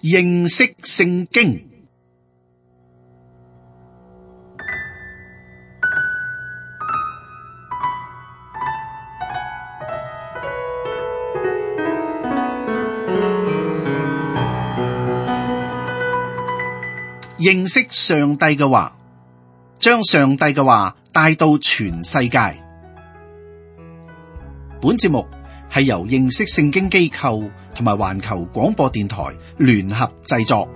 認識聖經。認識上帝嘅話，將上帝嘅話帶到全世界。本節目係由認識聖經機構同埋環球廣播電台聯合製作。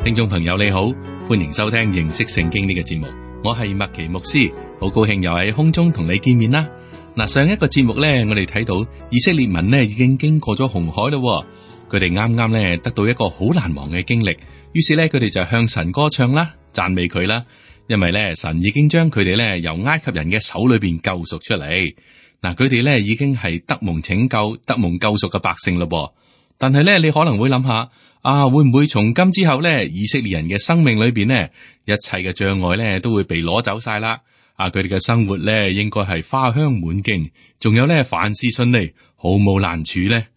聽眾朋友你好，歡迎收聽認識聖經呢個節目，我係麥奇牧師，好高興又喺空中同你見面啦。嗱，上一個節目咧，我哋睇到以色列民呢已經經過咗紅海咯，佢哋啱啱咧得到一個好難忘嘅經歷，於是咧佢哋就向神歌唱啦，讚美佢啦。因為咧，神已經將佢哋咧由埃及人嘅手裏邊救贖出嚟。嗱，佢哋咧已經係得蒙拯救、得蒙救贖嘅百姓咯。但係咧，你可能會諗下，會唔會從今之後咧，以色列人嘅生命裏邊呢，一切嘅障礙咧都會被攞走晒啦？佢哋嘅生活咧應該係花香滿徑，仲有咧凡事順利，毫無難處咧。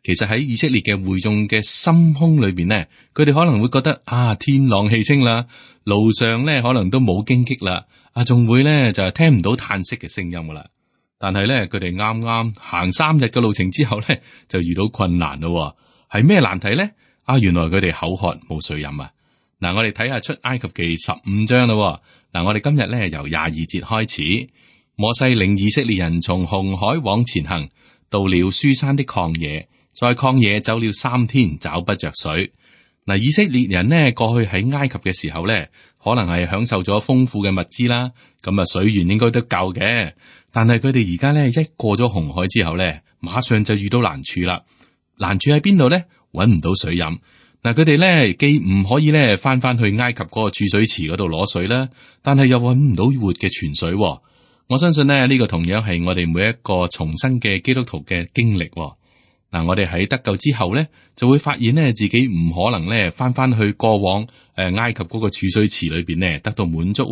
其實喺以色列嘅會眾嘅心胸裏邊呢，佢哋可能會覺得天朗氣清啦，路上咧可能都冇荊棘啦，仲會咧就係聽唔到嘆息嘅聲音噶啦。但係咧佢哋啱啱行3日嘅路程之後咧，就遇到困難咯。係咩難題咧？原來佢哋口渴冇水飲啊！嗱，我哋睇下出埃及記15章啦。嗱，我哋今日咧由22節開始，摩西領以色列人從紅海往前行，到了書珊的曠野。在曠野走了3天，找不着水。嗱，以色列人呢過去喺埃及嘅時候咧，可能係享受咗豐富嘅物資啦，咁水源應該都夠嘅。但係佢哋而家咧一過咗紅海之後咧，馬上就遇到難處啦。難處喺邊度咧？搵唔到水飲。嗱，佢哋咧既唔可以咧翻去埃及嗰個儲水池嗰度攞水啦，但係又搵唔到活嘅泉水。我相信呢個同樣係我哋每一個重生嘅基督徒嘅經歷。嗱，我哋喺得救之後咧，就會發現咧自己唔可能咧翻去過往埃及嗰個儲水池裏邊咧得到滿足，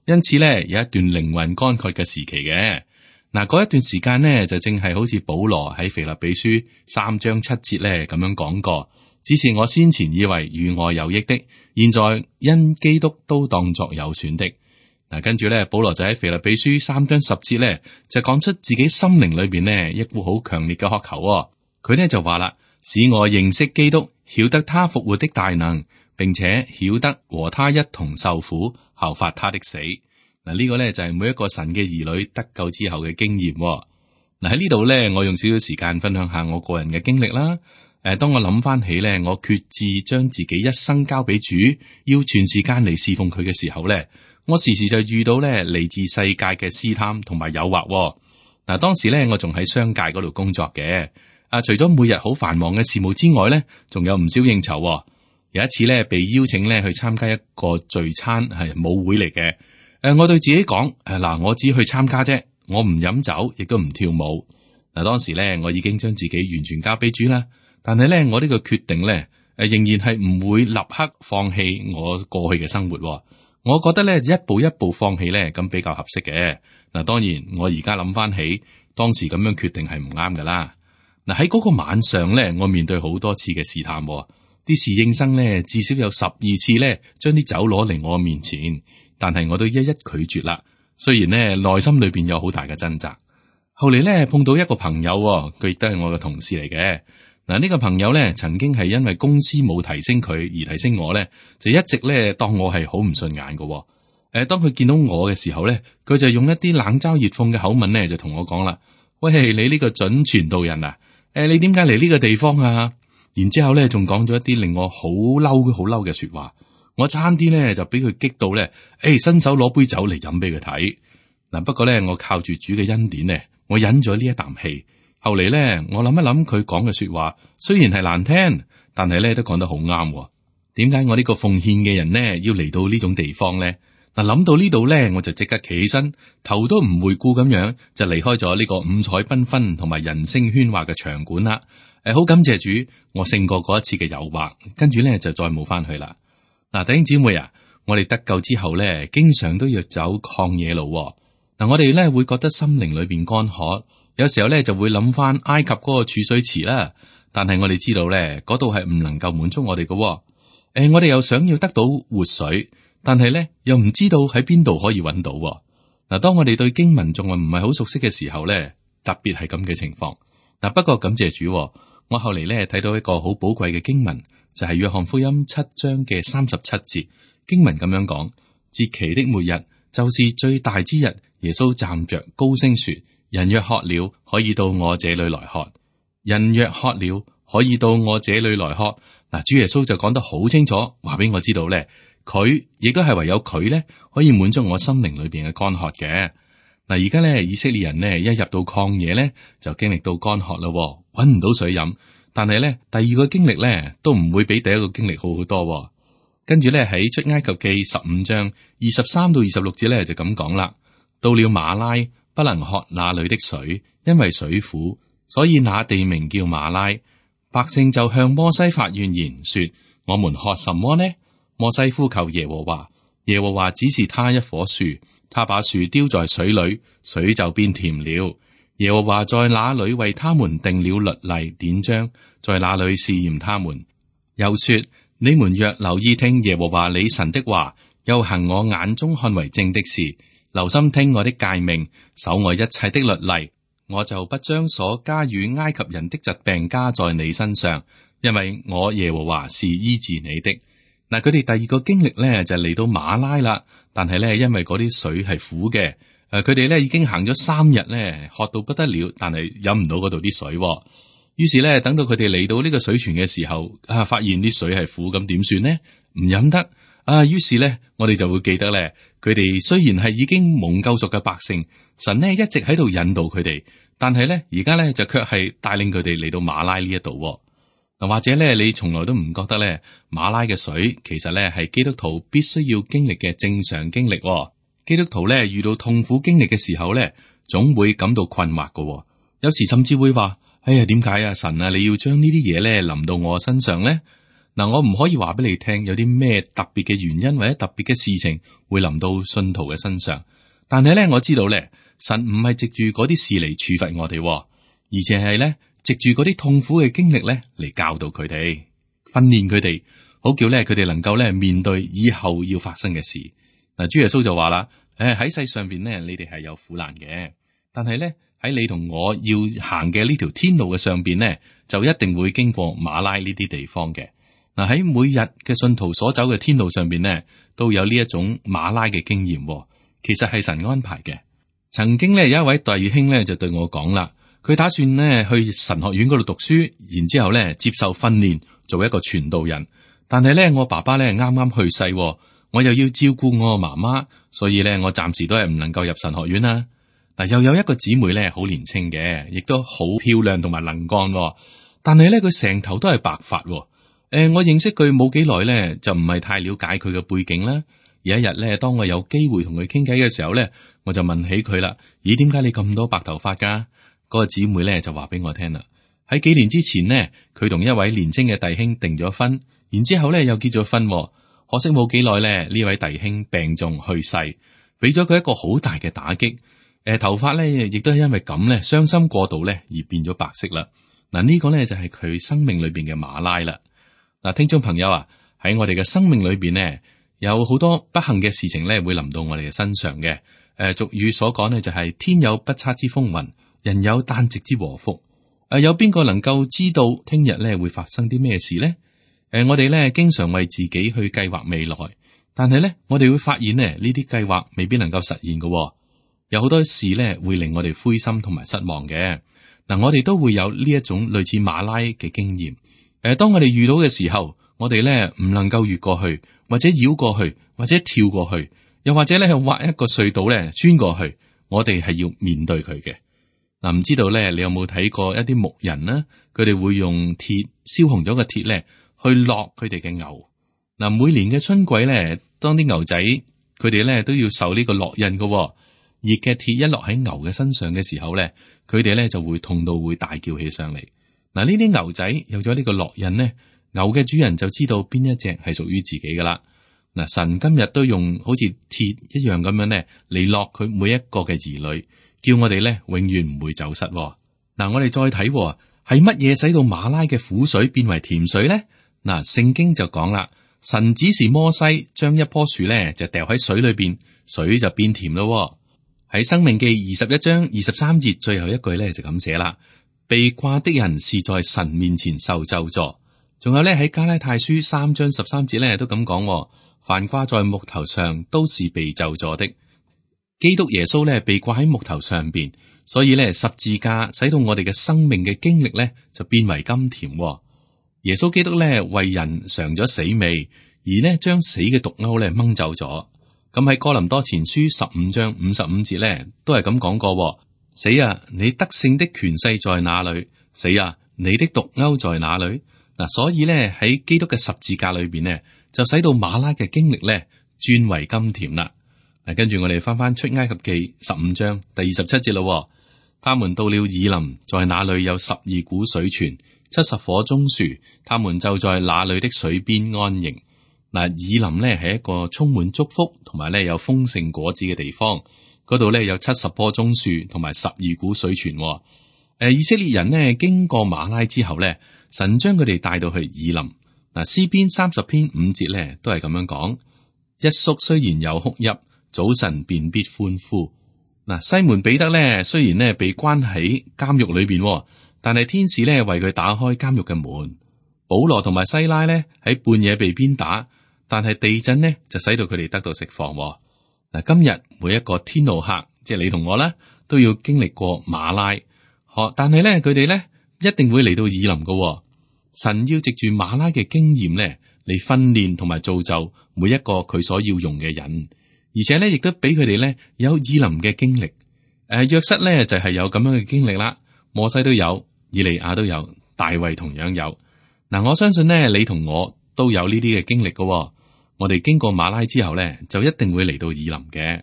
因此咧有一段靈魂乾涸嘅時期嘅。嗱，嗰一段時間呢，就正係好似保羅喺腓立比書3章7節咧咁樣講過，只是我先前以為與我有益的，現在因基督都當作有損的。嗱，跟住咧，保羅就喺腓立比書3章10節咧就講出自己心靈裏邊呢一股好強烈嘅渴求。佢呢就話啦，使我認識基督，曉得他復活的大能，並且曉得和他一同受苦，效法他的死。嗱，呢個呢就係每一個神嘅兒女得救之後嘅經驗。嗱，喺呢度呢，我用少少時間分享下我個人嘅經歷啦。當我諗翻起呢，我決志將自己一生交俾主，要全時間嚟侍奉佢嘅時候呢，我時時就遇到呢嚟自世界嘅試探同埋誘惑。嗱，當時呢，我仲喺商界嗰度工作嘅。除咗每日好繁忙嘅事務之外咧，仲有唔少應酬。有一次咧，被邀請咧去參加一個聚餐，係舞會嚟嘅。我對自己講，嗱，我只去參加啫，我唔飲酒，亦都唔跳舞。嗱，當時咧，我已經將自己完全交俾主啦。但係咧，我呢個決定咧，仍然係唔會立刻放棄我過去嘅生活。我覺得咧，一步一步放棄咧，咁比較合適嘅。嗱，當然我而家諗翻起，當時咁樣決定係唔啱噶啦。嗱，喺嗰個晚上咧，我面對好多次嘅試探，啲侍應生咧至少有12次咧，將啲酒攞嚟我面前，但係我都一一拒絕啦。雖然咧內心裏邊有好大嘅掙扎。後嚟咧碰到一個朋友，佢亦都係我嘅同事嚟嘅。嗱，呢個朋友咧曾經係因為公司冇提升佢而提升我咧，就一直咧當我係好唔順眼嘅。當佢見到我嘅時候咧，佢就用一啲冷嘲熱諷嘅口吻咧，就同我講啦：喂，你呢個準傳道人啊！你點解嚟呢個地方啊？然之後咧，仲講咗一啲令我好嬲嘅說話。我差啲咧就俾佢激到咧，伸手攞杯酒嚟飲俾佢睇。嗱，不過咧，我靠住主嘅恩典咧，我忍咗呢一啖氣。後嚟咧，我諗一諗佢講嘅說話，雖然係難聽，但係咧都講得好啱。點解我呢個奉獻嘅人呢要嚟到呢種地方咧？嗱，諗到呢度咧，我就即刻企起身，頭都唔回顧咁樣就離開咗呢個五彩繽紛同埋人聲喧嘩嘅場館啦。好感謝主，我勝過嗰一次嘅誘惑，跟住咧就再冇翻去啦。嗱，弟兄姊妹啊，我哋得救之後咧，經常都要走曠野路。嗱，我哋咧會覺得心靈裏邊乾渴，有時候咧就會諗翻埃及嗰個儲水池啦，但係我哋知道咧嗰度係唔能夠滿足我哋嘅。我哋又想要得到活水，但係咧又唔知道喺邊度可以揾到。嗱，當我哋對經文仲係唔係好熟悉嘅時候咧，特別係咁嘅情況。嗱，不過感謝主，我後嚟咧睇到一個好寶貴嘅經文，就係約翰福音7章嘅37節經文咁樣講：節期的末日，就是最大之日。耶穌站着高聲說：人若渴了，可以到我這裏來喝。人若渴了，可以到我這裏來喝。嗱，主耶穌就講得好清楚，話俾我知道咧，佢亦都係唯有佢咧可以滿足我心靈裏邊嘅乾渴嘅。嗱，而家咧以色列人呢，一入到曠野咧就經歷到乾渴啦，搵唔到水飲。但係咧第二個經歷咧都唔會比第一個經歷好好多。跟住咧喺出埃及記15章23到26節咧就咁講啦：到了馬拉，不能喝那裏的水，因為水苦，所以那地名叫馬拉。百姓就向摩西發怨言，說：我們喝什麼呢？摩西呼求耶和華，耶和華指示他一棵樹，他把樹丟在水裏，水就變甜了。耶和華在那裏為他們定了律例典章，在那裏試驗他們。又說：你們若留意聽耶和華你神的話，又行我眼中看為正的事，留心聽我的誡命，守我一切的律例，我就不將所加與埃及人的疾病加在你身上，因為我耶和華是醫治你的。嗱，佢哋第二個經歷咧就嚟到馬拉啦，但係咧因為嗰啲水係苦嘅，佢哋咧已經行咗3日咧，渴到不得了，但係飲唔到嗰度啲水。於是咧等到佢哋嚟到呢個水泉嘅時候，發現啲水係苦，咁點算呢？唔飲得於是咧我哋就會記得咧，佢哋雖然係已經蒙救贖嘅百姓，神呢一直喺度引導佢哋，但係咧而家咧就卻係帶領佢哋嚟到馬拉呢一度。嗱，或者咧你從來都唔覺得咧馬拉嘅水其實咧係基督徒必須要經歷嘅正常經歷。基督徒咧遇到痛苦經歷嘅時候咧，總會感到困惑嘅。有時甚至會話：哎呀，點解啊神啊，你要將呢啲嘢咧臨到我身上咧？嗱，我唔可以話俾你聽有啲咩特別嘅原因或者特別嘅事情會臨到信徒嘅身上，但係咧我知道咧，神唔係藉住嗰啲事嚟處罰我哋，而且係咧藉住嗰啲痛苦嘅經歷咧嚟教導佢哋，訓練佢哋，好叫咧佢哋能夠咧面對以後要發生嘅事。嗱，主耶穌就話啦：喺世上邊咧，你哋係有苦難嘅，但係咧喺你同我要行嘅呢條天路嘅上邊咧，就一定會經過馬拉呢啲地方嘅。嗱，喺每日嘅信徒所走嘅天路上邊咧，都有呢一種馬拉嘅經驗，其實係神安排嘅。曾經咧有一位弟兄咧就對我講啦，佢打算咧去神學院嗰度讀書，然之後咧接受訓練做一個傳道人。但係咧我爸爸咧啱啱去世，我又要照顧我媽媽，所以咧我暫時都係唔能夠入神學院啦。嗱，又有一個姊妹咧好年輕嘅，亦都好漂亮同埋能幹，但係咧佢成頭都係白髮。我認識佢冇幾耐咧，就唔係太了解佢嘅背景啦。有一日咧，當我有機會同佢傾偈嘅時候咧，我就問起佢啦：咦，點解你咁多白頭髮噶？嗰個姊妹咧就話俾我聽啦。喺幾年之前呢，佢同一位年輕嘅弟兄訂咗婚，然之後咧又結咗婚。可惜冇幾耐咧，呢位弟兄病重去世，俾咗佢一個好大嘅打擊。頭髮咧亦都係因為咁咧，傷心過度咧而變咗白色啦。嗱，呢個咧就係佢生命裏邊嘅馬拉啦。嗱，聽眾朋友啊，喺我哋嘅生命裏邊呢，有好多不幸嘅事情咧會臨到我哋嘅身上嘅。俗語所講呢，就係天有不測之風雲，人有旦夕之禍福。有邊個能夠知道聽日咧會發生啲咩事呢？我哋咧經常為自己去計劃未來，但係咧我哋會發現呢啲計劃未必能夠實現嘅。有好多事咧會令我哋灰心同埋失望嘅。嗱，我哋都會有呢一種類似馬拉嘅經驗。當我哋遇到嘅時候，我哋咧唔能夠越過去，或者繞過去，或者跳過去，又或者咧挖一個隧道咧穿過去，我哋係要面對佢嘅。嗱，唔知道咧，你有冇睇過一啲牧人呢？佢哋會用鐵燒紅咗個鐵咧，去落佢哋嘅牛。嗱，每年嘅春季咧，當啲牛仔佢哋咧都要受呢個烙印嘅。熱嘅鐵一落喺牛嘅身上嘅時候咧，佢哋咧就會痛到會大叫起上嚟。嗱，呢啲牛仔有咗呢個烙印呢，牛嘅主人就知道邊一隻係屬於自己噶啦。嗱，神今日都用好似鐵一樣咁樣咧嚟烙佢每一個嘅兒女，叫我哋咧永遠唔會走失。嗱，我哋再睇係乜嘢使到馬拉嘅苦水變為甜水咧？嗱，聖經就講啦，神指示摩西將一棵樹咧就掉喺水裏邊，水就變甜咯。喺申命記21章23節最後一句咧就咁寫啦：被掛的人是在神面前受咒詛。仲有咧喺加拉太書3章13節咧都咁講，凡掛在木頭上都是被咒詛的。基督耶穌咧被掛喺木頭上邊，所以咧十字架使到我哋嘅生命嘅經歷咧就變為甘甜。耶穌基督咧為人嘗咗死味，而呢將死嘅毒鈎咧掹走咗。咁喺哥林多前書15章55節咧，都係咁講過：死啊，你得勝的權勢在哪裏？死啊，你的毒鈎在哪裏？嗱，所以咧喺基督嘅十字架裏邊呢，就使到馬拉嘅經歷咧轉為甘甜啦。嗱，跟住我哋翻出埃及記15章第27節咯。他們到了以琳，在那裏有12股水泉，70棵棕樹，他們就在那裏的水邊安營。嗱，以琳呢係一個充滿祝福同埋咧有豐盛果子嘅地方，嗰度咧有70棵棕樹同埋12股水泉。以色列人呢經過馬拉之後咧，神將佢哋帶到去以琳。嗱，詩篇30篇5節咧都係咁樣講：一宿雖然有哭泣，早晨便必歡呼。嗱，西門彼得咧雖然呢被關喺監獄裏邊，但係天使咧為佢打開監獄嘅門。保羅同埋西拉咧喺半夜被鞭打，但係地震呢就使到佢哋得到釋放。嗱，今日每一個天路客，即係你同我啦，都要經歷過馬拉。但係咧佢哋咧一定會嚟到以琳噶。神要藉住馬拉嘅經驗咧嚟訓練同埋造就每一個佢所要用嘅人，而且咧亦都俾佢哋咧有以琳嘅經歷。約瑟咧就係有咁樣嘅經歷啦，摩西都有，以利亞都有，大衛同樣有。嗱，我相信呢，你同我都有呢啲嘅經歷噶。我哋經過馬拉之後咧，就一定會嚟到以琳嘅。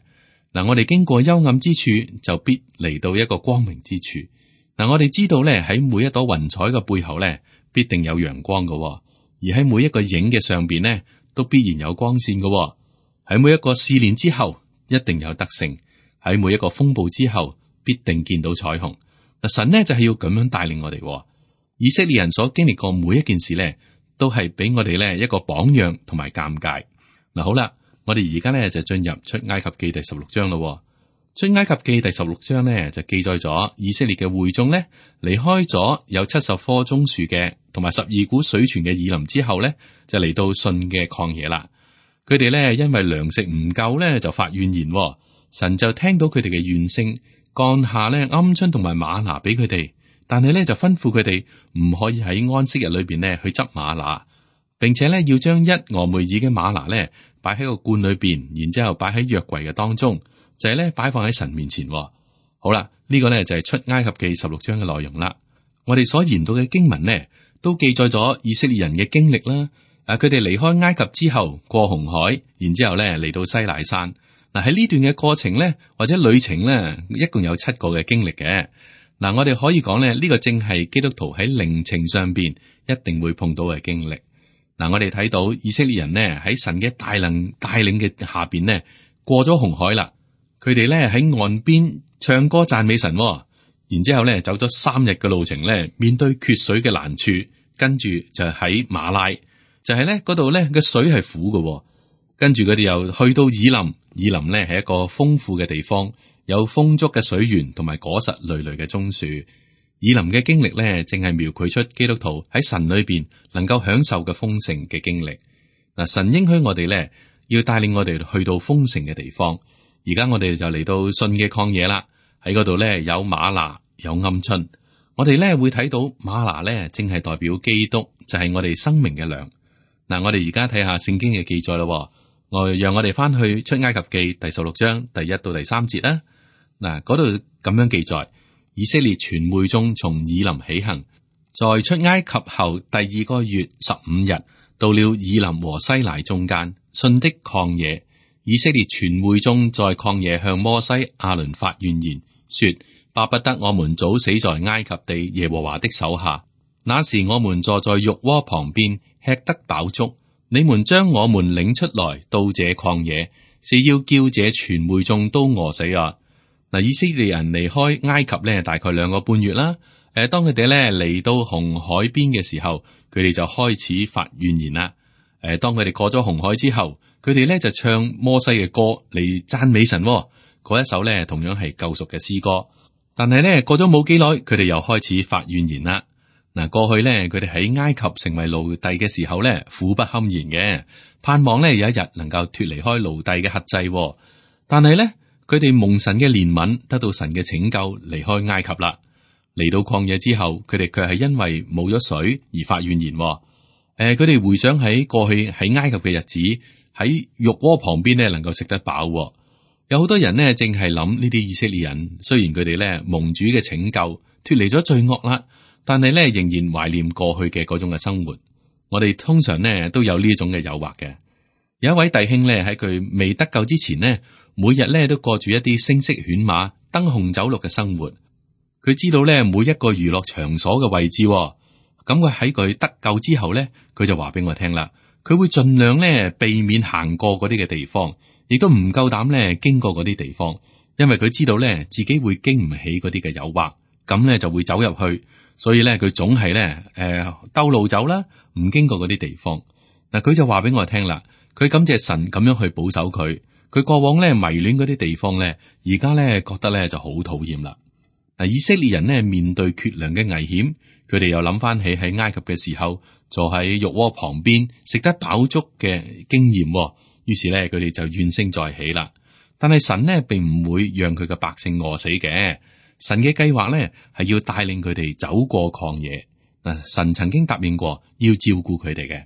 嗱，我哋經過幽暗之處，就必嚟到一個光明之處。嗱，我哋知道咧喺每一朵雲彩嘅背後咧，必定有陽光噶，而喺每一個影嘅上邊咧，都必然有光線噶。喺每一個試煉之後，一定有得勝；喺每一個風暴之後，必定見到彩虹。嗱，神呢就係要咁樣帶領我哋。以色列人所經歷過每一件事咧，都係俾我哋咧一個榜樣同埋鑒戒。嗱，好啦，我哋而家咧就進入出埃及記第16章咯。出埃及記第16章呢，就記載咗以色列嘅會眾呢，離開咗有70棵棕樹嘅同埋12股水泉嘅以琳之後呢，就嚟到信嘅曠野啦。佢哋呢，因為糧食唔夠呢，就發怨言。神就聽到佢哋嘅怨聲，降下呢鵪鶉同埋嗎哪俾佢哋，但係呢，就吩咐佢哋唔可以喺安息日裏邊呢去執嗎哪，並且呢，要將一俄梅爾嘅嗎哪呢擺喺個罐裏邊，然之後擺喺約櫃嘅當中。就係咧擺放喺神面前。好啦，呢個呢就係出埃及記16章嘅內容啦。我哋所研讀嘅經文呢，都記載咗以色列人嘅經歷啦。佢哋離開埃及之後過紅海，然之後呢嚟到西乃山。嗱，喺呢段嘅過程呢，或者旅程呢，一共有7個嘅經歷嘅。嗱，我哋可以講呢，呢個正係基督徒喺靈程上邊一定會碰到嘅經歷。嗱，我哋睇到以色列人呢喺神嘅大能帶領嘅下邊呢，過咗紅海啦。佢哋咧喺岸邊唱歌讚美神，然之後咧走咗3日嘅路程咧，面對缺水嘅難處，跟住就喺馬拉，就係咧嗰度咧嘅水係苦嘅，跟住佢哋又去到以琳，以琳咧係一個豐富嘅地方，有豐足嘅水源同埋果實累累嘅棕樹。以琳嘅經歷咧，正係描繪出基督徒喺神裏邊能夠享受嘅豐盛嘅經歷。嗱，神應許我哋咧，要帶領我哋去到豐盛嘅地方。而家我哋就嚟到信嘅曠野啦，喺嗰度咧有嗎哪，有鵪鶉。我哋咧會睇到嗎哪咧，正係代表基督，就係我哋生命嘅糧。嗱，我哋而家睇下聖經嘅記載咯。讓我哋翻去出埃及記第16章第1到第3節啦。嗱，嗰度咁樣記載：以色列全會眾從以琳起行，在出埃及後第2個月15日，到了以琳和西乃中間，信的曠野。以色列全會眾在曠野向摩西、亞倫發怨言，說：巴不得我們早死在埃及地耶和華的手下。那時我們坐在肉鍋旁邊，吃得飽足。你們將我們領出來到這曠野，是要叫這全會眾都餓死啊！嗱，以色列人離開埃及咧，大概2個半月啦。當佢哋咧嚟到紅海邊嘅時候，佢哋就開始發怨言啦。當佢哋過咗紅海之後，佢哋咧就唱摩西嘅歌嚟讚美神。嗰一首咧同樣係救贖嘅詩歌。但係咧過咗冇幾耐，佢哋又開始發怨言啦。嗱，過去咧佢哋喺埃及成為奴隸嘅時候咧，苦不堪言嘅，盼望咧有一日能夠脫離開奴隸嘅轄制。但係咧佢哋蒙神嘅憐憫，得到神嘅拯救，離開埃及啦。嚟到曠野之後，佢哋卻係因為冇咗水而發怨言。佢哋回想喺過去喺埃及嘅日子，喺肉鍋旁邊咧能夠食得飽。有好多人呢，正係諗呢啲以色列人，雖然佢哋咧蒙主嘅拯救，脫離咗罪惡啦，但係咧仍然懷念過去嘅嗰種嘅生活。我哋通常呢都有呢種嘅誘惑嘅。有一位弟兄咧喺佢未得救之前呢，每日咧都過住一啲聲色犬馬、燈紅酒綠嘅生活。佢知道咧每一個娛樂場所嘅位置，咁佢喺佢得救之後咧，佢就話俾我聽啦。佢會盡量咧避免行過嗰啲嘅地方，亦都唔夠膽咧經過嗰啲地方，因為佢知道咧自己會經唔起嗰啲嘅誘惑，咁咧就會走入去。所以咧佢總係咧兜路走啦，唔經過嗰啲地方。嗱，佢就話俾我聽啦，佢感謝神咁樣去保守佢。佢過往咧迷戀嗰啲地方咧，而家咧覺得咧就好討厭啦。嗱，以色列人呢面對缺糧嘅危險，佢哋又諗翻起喺埃及嘅時候坐喺肉鍋旁邊食得飽足嘅經驗，於是咧佢哋就怨聲載起啦。但係神呢並唔會讓佢嘅百姓餓死嘅，神嘅計劃咧係要帶領佢哋走過曠野。嗱，神曾經答應過要照顧佢哋嘅。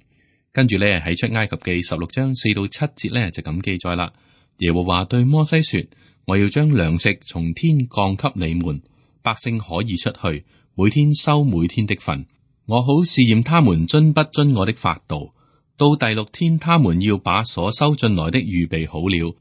跟住咧喺出埃及記16章4到7節咧就咁記載啦。耶和華對摩西說：我要將糧食從天降給你們。百姓可以出去，每天收每天的份。我好試驗他們遵不遵我的法度。到第6天，他們要把所收進來的預備好了，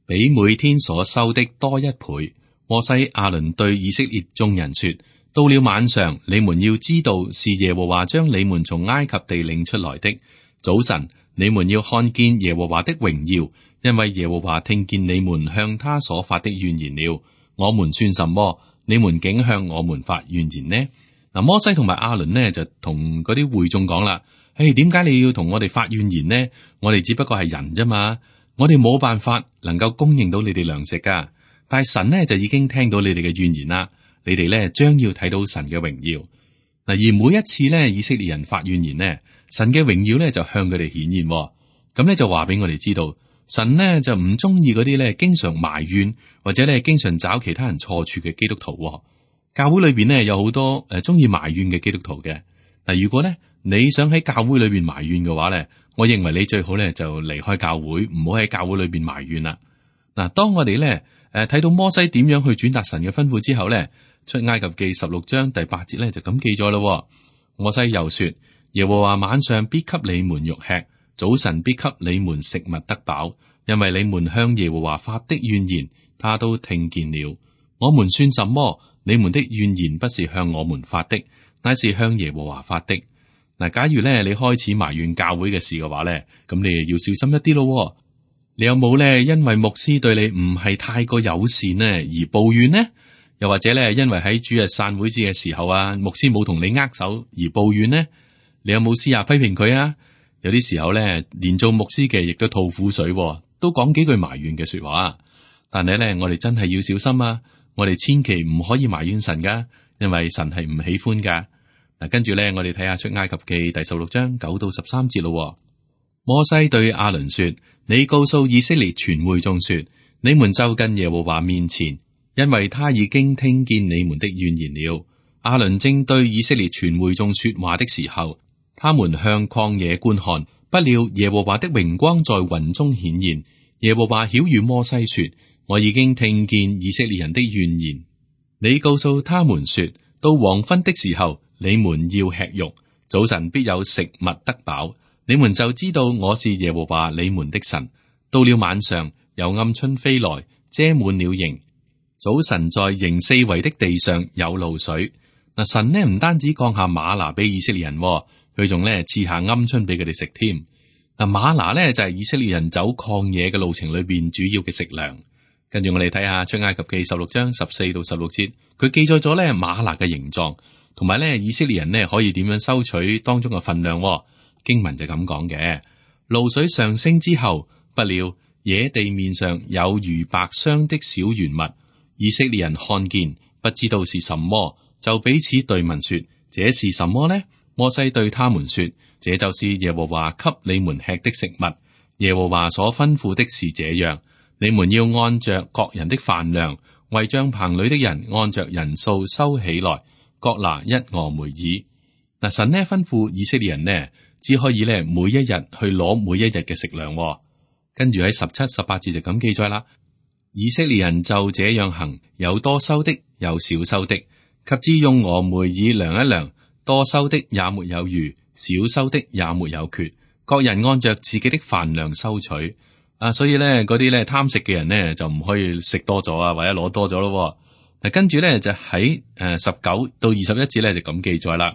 比每天所收的多1倍。摩西亞倫對以色列眾人說：到了晚上，你們要知道是耶和華將你們從埃及地領出來的。早晨，你們要看見耶和華的榮耀，因為耶和華聽見你們向他所發的怨言了。我們算什麼？你們竟向我們發怨言呢？嗱，摩西同埋亞倫呢就同嗰啲會眾講啦：點解你要同我哋發怨言呢？我哋只不過係人啫嘛，我哋冇辦法能夠供應到你哋糧食噶。但係神呢就已經聽到你哋嘅怨言啦，你哋呢將要睇到神嘅榮耀。嗱，而每一次呢以色列人發怨言呢，神嘅榮耀呢就向佢哋顯現。咁呢就話俾我哋知道。神呢就唔中意嗰啲咧經常埋怨或者咧經常找其他人錯處嘅基督徒。教會裏邊呢有好多中意埋怨嘅基督徒嘅。嗱，如果咧你想喺教會裏邊埋怨嘅話咧，我認為你最好咧就離開教會，唔好喺教會裏邊埋怨啦。嗱，當我哋咧睇到摩西點樣去轉達神嘅吩咐之後咧，出埃及記16章第8節咧就咁記載咯。摩西又說：耶和華晚上必給你們肉吃。早晨必給你們食物得飽，因為你們向耶和華發的怨言，他都聽見了。我們算什麼？你們的怨言不是向我們發的，乃是向耶和華發的。嗱，假如咧你開始埋怨教會嘅事嘅話咧，咁你要小心一啲咯。你有冇咧因為牧師對你唔係太過友善呢而抱怨呢？又或者咧因為喺主日散會節嘅時候啊，牧師冇同你握手而抱怨呢？你有冇私下批評佢啊？有啲時候咧，連做牧師嘅亦都吐苦水，都講幾句埋怨嘅說話。但係咧，我哋真係要小心啊！我哋千祈唔可以埋怨神噶，因為神係唔喜歡噶。嗱，跟住咧，我哋睇下出埃及記第16章9到13節咯。摩西對亞倫說：你告訴以色列全會眾說，你們就近耶和華面前，因為他已經聽見你們的怨言了。亞倫正對以色列全會眾說話的時候，他們向曠野觀看，不料耶和華的榮光在雲中顯現。耶和華曉諭摩西說：我已經聽見以色列人的怨言。你告訴他們說，到黃昏的時候，你們要吃肉，早晨必有食物得飽。你們就知道我是耶和華你們的神。到了晚上，有鵪鶉飛來，遮滿了營。早晨在營四圍的地上有露水。嗱，神呢唔單止降下嗎哪俾以色列人，佢仲咧賜下鵪鶉俾佢哋食添。嗱，嗎哪咧就係以色列人走曠野嘅路程裏邊主要嘅食糧。跟住我哋睇下出埃及記16章14到16節，佢記載咗咧嗎哪嘅形狀，同埋咧以色列人呢可以點樣收取當中嘅分量。經文就咁講嘅：露水上升之後，不料野地面上有如白霜的小圓物，以色列人看見，不知道是什麼，就彼此對問說：這是什麼呢？摩西對他們說：這就是耶和華給你們吃的食物。耶和華所吩咐的是這樣，你們要按着各人的飯量，為帳棚裏的人按着人數收起來，各拿1俄梅爾。嗱，神呢吩咐以色列人呢，只可以呢每一日去攞每一日嘅食糧。跟住喺17、18節就咁記載啦。以色列人就這樣行，有多收的，有少收的，及至用俄梅爾量一量，多收的也沒有餘，少收的也沒有缺，各人按着自己的飯量收取。所以咧嗰啲咧貪食嘅人呢，就唔可以食多咗啊，或者攞多咗咯。嗱，跟住咧就喺19到21節咧就咁記載啦。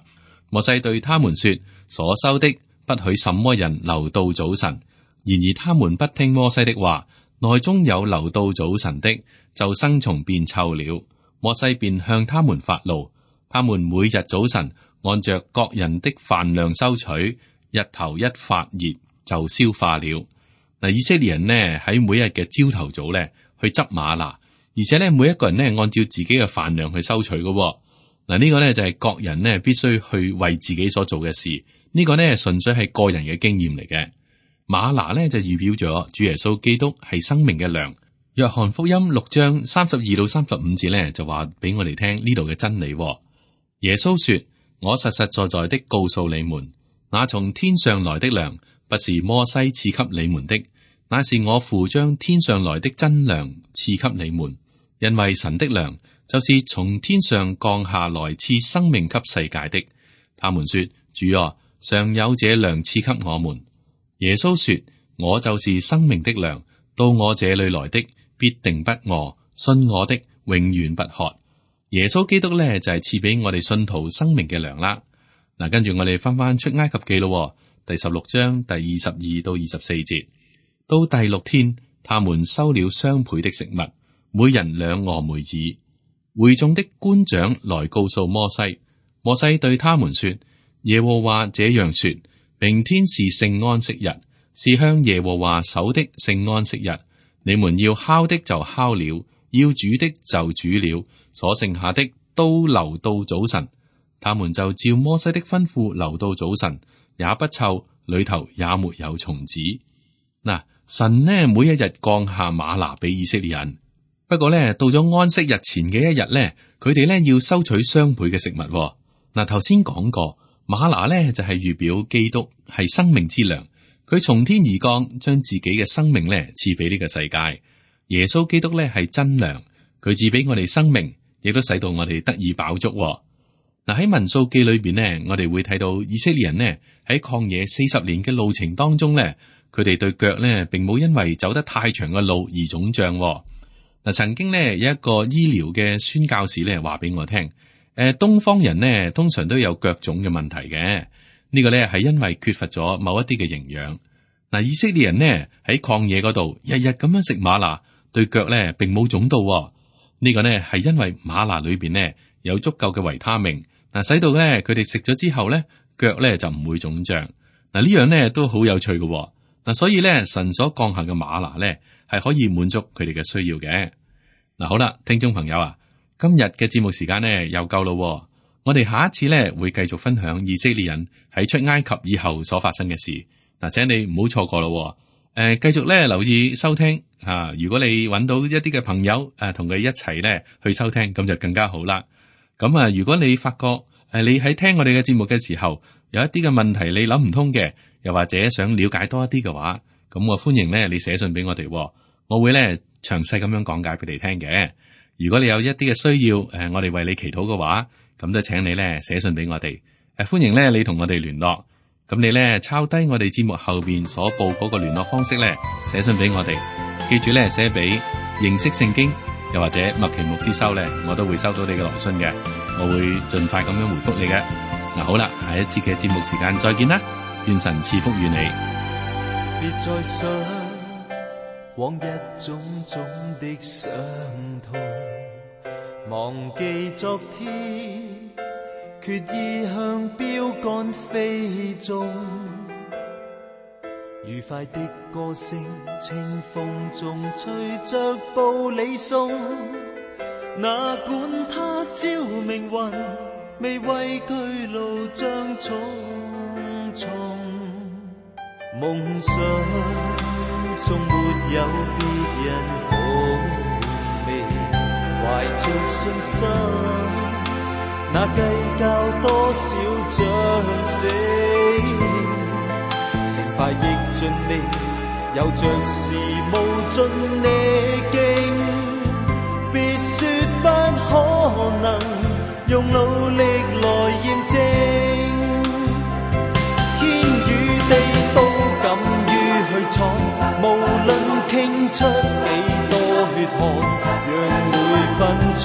摩西對他們說：所收的不許什麼人留到早晨。然而他們不聽摩西的話，內中有留到早晨的，就生蟲變臭了。摩西便向他們發怒，他們每日早晨按着各人的飯量收取，日頭一發熱就消化了。嗱，以色列人呢喺每日嘅朝頭早咧去執嗎哪，而且咧每一個人呢按照自己嘅飯量去收取嘅。嗱，呢個呢就係各人呢必須去為自己所做嘅事，呢個呢純粹係個人嘅經驗嚟嘅。嗎哪呢就預表咗主耶穌基督係生命嘅糧。約翰福音6章32到35節呢就話俾我哋聽呢度嘅真理。耶穌說：我實實在在的告訴你們，那從天上來的糧不是摩西賜給你們的，乃是我父將天上來的真糧賜給你們。因為神的糧就是從天上降下來賜生命給世界的。他們說：主啊，常有這糧賜給我們。耶穌說：我就是生命的糧，到我這裏來的必定不餓，信我的永遠不渴。耶穌基督呢，就係賜俾我哋信徒生命嘅糧啦。嗱，跟住我哋翻出埃及記咯，第16章第22到24節。到第6天，他們收了雙倍的食物，每人2俄梅爾。會眾的官長來告訴摩西，摩西對他們說：耶和華這樣說，明天是聖安息日，是向耶和華守的聖安息日。你們要烤的就烤了，要煮的就煮了，所剩下的都留到早晨。他們就照摩西的吩咐留到早晨，也不臭，裏頭也沒有蟲子。嗱，神呢每一日降下嗎哪俾以色列人，不過呢到咗安息日前嘅一日呢，佢哋呢要收取雙倍嘅食物。嗱，頭先講過嗎哪呢就係預表基督係生命之糧，佢從天而降，將自己嘅生命呢賜俾呢個世界。耶穌基督呢係真糧，佢賜俾我哋生命，亦都使到我哋得以飽足。嗱，喺民數記裏邊呢，我哋會睇到以色列人呢喺曠野40年嘅路程當中呢，佢哋對腳呢並冇因為走得太長嘅路而腫脹。嗱，曾經呢有一個醫療嘅宣教士呢話俾我聽，東方人呢通常都有腳腫嘅問題嘅，呢個呢係因為缺乏咗某一啲嘅營養。嗱，以色列人呢喺曠野嗰度日日咁樣食嗎哪，對腳呢並冇腫到。呢個呢係因為嗎哪裏邊呢有足夠嘅維他命，嗱，使到咧佢哋食咗之後咧腳咧就唔會腫脹。嗱，呢樣咧都好有趣嘅。嗱，所以咧神所降下嘅嗎哪咧係可以滿足佢哋嘅需要嘅。嗱，好啦，聽眾朋友啊，今日嘅節目時間咧又夠咯。我哋下一次咧會繼續分享以色列人喺出埃及以後所發生嘅事。嗱，請你唔好錯過咯。繼續咧留意收聽啊。如果你揾到一啲嘅朋友同佢一齊咧去收聽，咁就更加好啦。咁啊，如果你發覺你喺聽我哋嘅節目嘅時候，有一啲嘅問題你諗唔通嘅，又或者想了解多一啲嘅話，咁我歡迎咧你寫信俾我哋，我會咧詳細咁樣講解俾你聽嘅。如果你有一啲嘅需要，我哋為你祈禱嘅話，咁就請你咧寫信俾我哋。歡迎咧你同我哋聯絡。咁你咧抄低我哋節目後邊所報嗰個聯絡方式咧，寫信俾我哋。記住咧寫俾認識聖經，又或者麥奇牧師收咧，我都會收到你嘅來信嘅，我會盡快咁樣回覆你嘅。嗱，好啦，下一次嘅節目時間再見啦，願神賜福與你。別再想往日種種的傷痛，忘記昨天，決意向標杆飛縱。愉快的歌聲，清風中隨着步履送，哪管他朝明雲，未畏懼路障重重。夢想中沒有別人好味，懷着信心，那計較多少將死，成敗亦盡力，有着時無盡力勁，別說不可能，用努力來驗證，天與地都敢於去闖，無論傾出幾多血汗，讓每分衝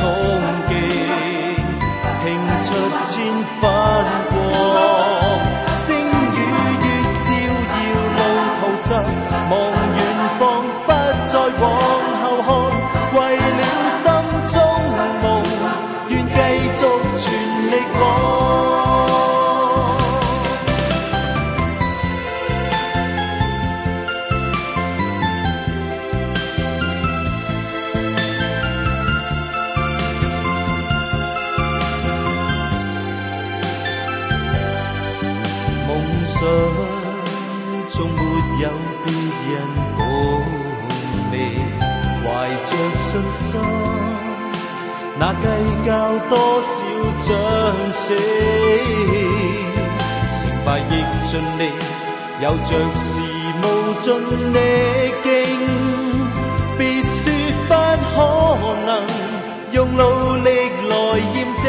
擊拼出千分光，星與月照耀路途上，望遠方不再往後看，為了心中夢，願繼續全力往。夢想中沒有別人共你，懷着信心，那計較多少將死，成敗亦盡力，有着時無盡力勁，別說不可能，用努力來驗證。